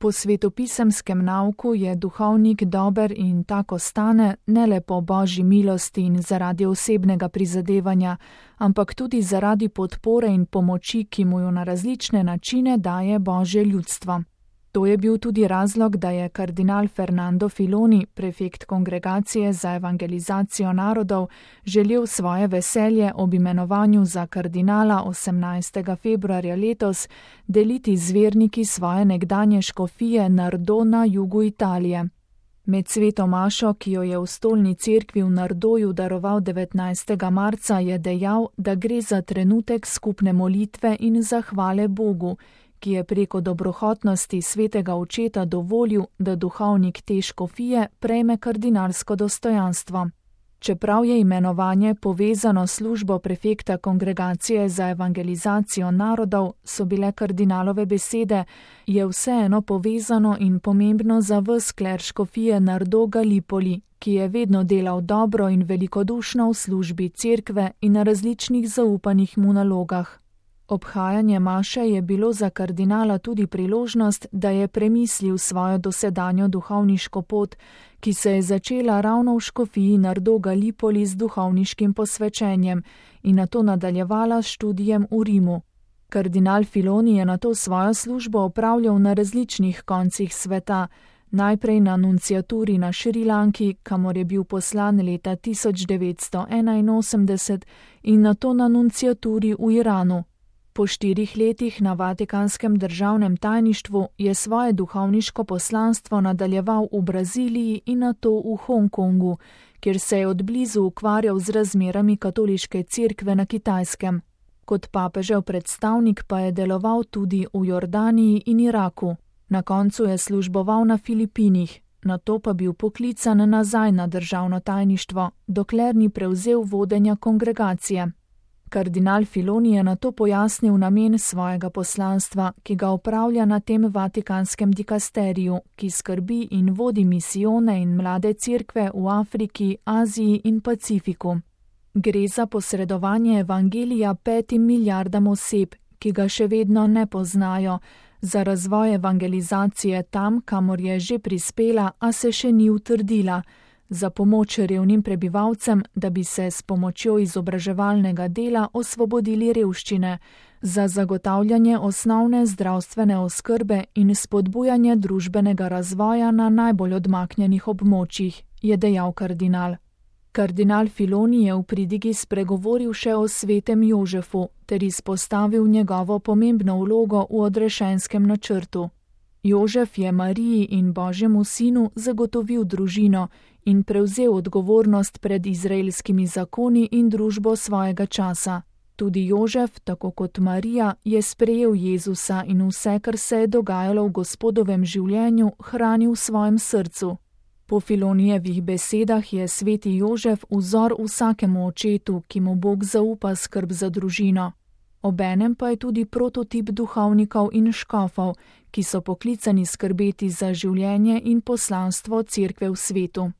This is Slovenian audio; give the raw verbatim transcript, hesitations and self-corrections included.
Po svetopisemskem nauku je duhovnik dober in tako stane ne le po božji milosti in zaradi osebnega prizadevanja, ampak tudi zaradi podpore in pomoči, ki mu jo na različne načine daje božje ljudstvo. To je bil tudi razlog, da je kardinal Fernando Filoni, prefekt Kongregacije za evangelizacijo narodov, želel svoje veselje ob imenovanju za kardinala osemnajstega februarja letos deliti z verniki svoje nekdanje škofije Nardò na jugu Italije. Med sveto mašo, ki jo je v stolni cerkvi v Nardoju daroval devetnajstega marca, je dejal, da gre za trenutek skupne molitve in zahvale Bogu, ki je preko dobrohotnosti svetega očeta dovolil, da duhovnik te škofije prejme kardinalsko dostojanstvo. Čeprav je imenovanje povezano s službo prefekta Kongregacije za evangelizacijo narodov, so bile kardinalove besede, je vseeno povezano in pomembno za ves kler škofije Nardò Gallipoli, ki je vedno delal dobro in velikodušno v službi cerkve in na različnih zaupanih mu nalogah. Obhajanje maše je bilo za kardinala tudi priložnost, da je premislil svojo dosedanjo duhovniško pot, ki se je začela ravno v škofiji Nardò Gallipoli z duhovniškim posvečenjem in nato nadaljevala s študijem v Rimu. Kardinal Filoni je nato svojo službo opravljal na različnih koncih sveta, najprej na nunciaturi na Šrilanki, kamor je bil poslan leta tisoč devetsto enainosemdeset, in nato na nunciaturi v Iranu. Po štirih letih na Vatikanskem državnem tajništvu je svoje duhovniško poslanstvo nadaljeval v Braziliji in nato v Hongkongu, kjer se je odblizu ukvarjal z razmerami katoliške cerkve na Kitajskem. Kot papežev predstavnik pa je deloval tudi v Jordaniji in Iraku. Na koncu je služboval na Filipinih, nato pa bil poklican nazaj na državno tajništvo, dokler ni prevzel vodenja kongregacije. Kardinal Filoni je nato pojasnil namen svojega poslanstva, ki ga opravlja na tem vatikanskem dikasteriju, ki skrbi in vodi misijone in mlade cerkve v Afriki, Aziji in Pacifiku. Gre za posredovanje evangelija petim milijardam oseb, ki ga še vedno ne poznajo, za razvoj evangelizacije tam, kamor je že prispela, a se še ni utrdila, za pomoč revnim prebivalcem, da bi se s pomočjo izobraževalnega dela osvobodili revščine, za zagotavljanje osnovne zdravstvene oskrbe in spodbujanje družbenega razvoja na najbolj odmaknjenih območjih, je dejal kardinal. Kardinal Filoni je v pridigi spregovoril še o svetem Jožefu ter izpostavil njegovo pomembno vlogo v odrešenskem načrtu. Jožef je Mariji in Božjemu sinu zagotovil družino in prevzel odgovornost pred izraelskimi zakoni in družbo svojega časa. Tudi Jožef, tako kot Marija, je sprejel Jezusa in vse, kar se je dogajalo v Gospodovem življenju, hranil v svojem srcu. Po Filonijevih besedah je sveti Jožef vzor vsakemu očetu, ki mu Bog zaupa skrb za družino. Obenem pa je tudi prototip duhovnikov in škofov, ki so poklicani skrbeti za življenje in poslanstvo cerkve v svetu.